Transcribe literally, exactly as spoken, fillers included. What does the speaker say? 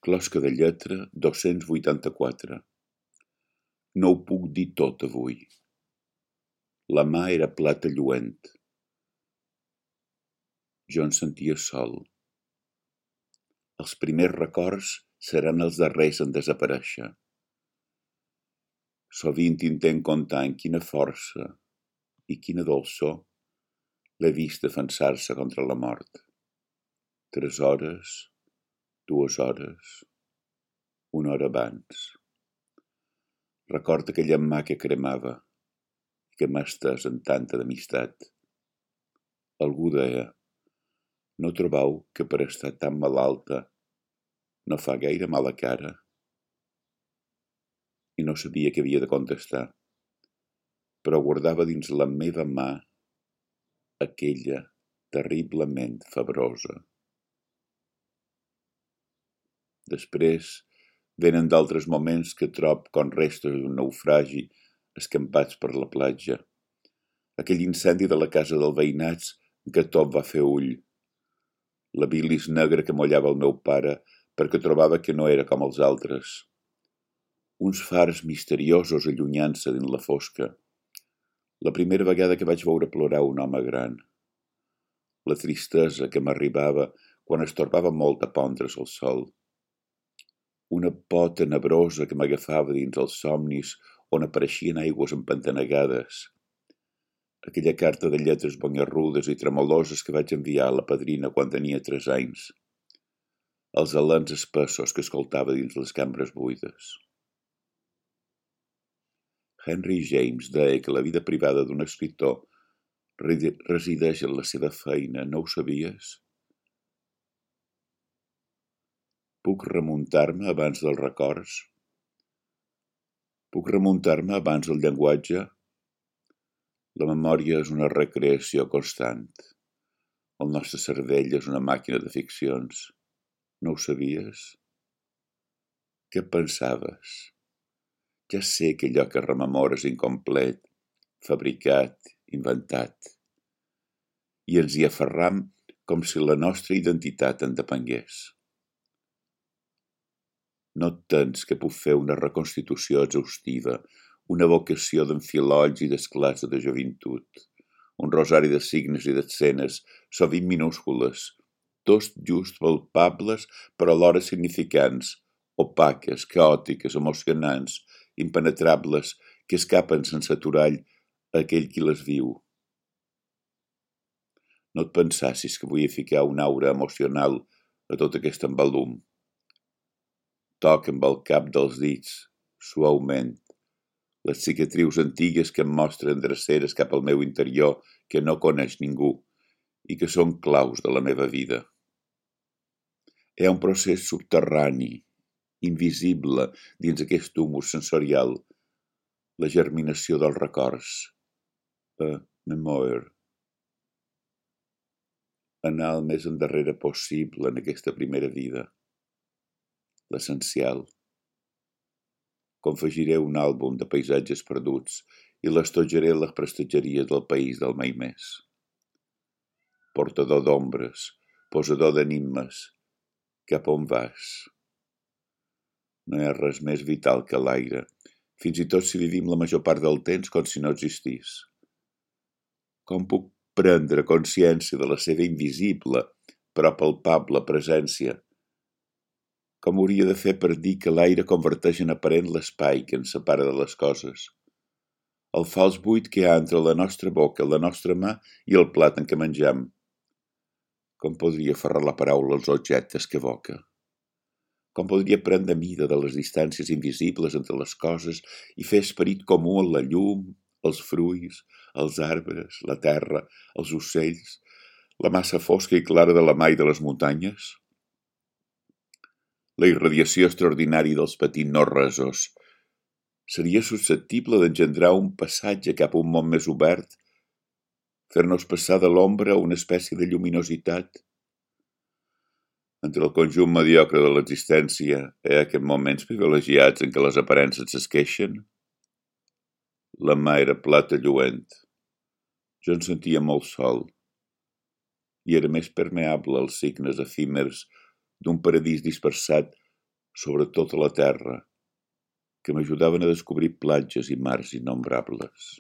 Closca de lletra dos-cents vuitanta-quatre. No ho puc dir tot avui. La mà era plata lluent. Jo em sentia sol. Els primers records seran els darrers en desaparèixer. Sovint intent comptar en quina força i quina dolçor l'he vist defensar-se contra la mort. Tres hores, dues hores, una hora abans. Recorda aquella mà que cremava i que m'ha estès en tanta d'amistat. Algú deia, no trobau que per estar tan malalta no fa gaire mala cara? I no sabia què havia de contestar, però guardava dins la meva mà aquella terriblement febrosa. Després venen d'altres moments que trob com restes d'un naufragi escampats per la platja. Aquell incendi de la casa del veïnats que tot va fer ull. La bilis negra que mollava el meu pare perquè trobava que no era com els altres. Uns fars misteriosos allunyant-se dins la fosca. La primera vegada que vaig veure plorar un home gran. La tristesa que m'arribava quan es torbava molt a pondre's el sol. Una por tenebrosa que m'agafava dins els somnis on apareixien aigües empantanegades. Aquella carta de lletres bonyarrudes i tremoloses que vaig enviar a la padrina quan tenia tres anys. Els alens espessos que escoltava dins les cambres buides. Henry James deia que la vida privada d'un escriptor resideix en la seva feina, no ho sabies? Puc remuntar-me abans dels records? Puc remuntar-me abans del llenguatge? La memòria és una recreació constant. El nostre cervell és una màquina de ficcions. No ho sabies? Què pensaves? Ja sé que allò que rememores incomplet, fabricat, inventat. I ens hi aferram com si la nostra identitat en depengués. No et tens que puc fer una reconstitució exhaustiva, una vocació d'enfilolls i d'esclats de joventut, un rosari de signes i d'escenes, sovint minúscules, tots just palpables però alhora significants, opaques, caòtiques, emocionants, impenetrables, que escapen sense aturall a aquell qui les viu. No et pensassis que vull ficar una aura emocional a tot aquest embalum. Toc amb el cap dels dits, suaument, les cicatrius antigues que em mostren dreceres cap al meu interior que no coneix ningú i que són claus de la meva vida. Hi ha un procés subterrani, invisible, dins aquest humus sensorial, la germinació dels records, a memoir. Anar el més endarrere possible en aquesta primera vida. L'essencial. Confegiré un àlbum de paisatges perduts i l'estojaré a les prestatgeries del país del mai més. Portador d'ombres, posador d'enigmes, cap on vas? No hi ha res més vital que l'aire, fins i tot si vivim la major part del temps com si no existís. Com puc prendre consciència de la seva invisible, però palpable presència? Com hauria de fer per dir que l'aire converteix en aparent l'espai que ens separa de les coses? El fals buit que hi ha entre la nostra boca, la nostra mà i el plat en què mengem? Com podria aferrar la paraula als objectes que evoca? Com podria prendre mida de les distàncies invisibles entre les coses i fer esperit comú en la llum, els fruits, els arbres, la terra, els ocells, la massa fosca i clara de la mà i de les muntanyes? La irradiació extraordinària dels petits no-resos seria susceptible d'engendrar un passatge cap a un món més obert, fer-nos passar de l'ombra a una espècie de lluminositat? Entre el conjunt mediocre de l'existència hi ha aquests moments privilegiats en què les aparences s'esqueixen? La mà era plata lluent. Jo em sentia molt sol i era més permeable als signes efímers d'un paradís dispersat sobre tota la terra, que m'ajudaven a descobrir platges i mars innombrables.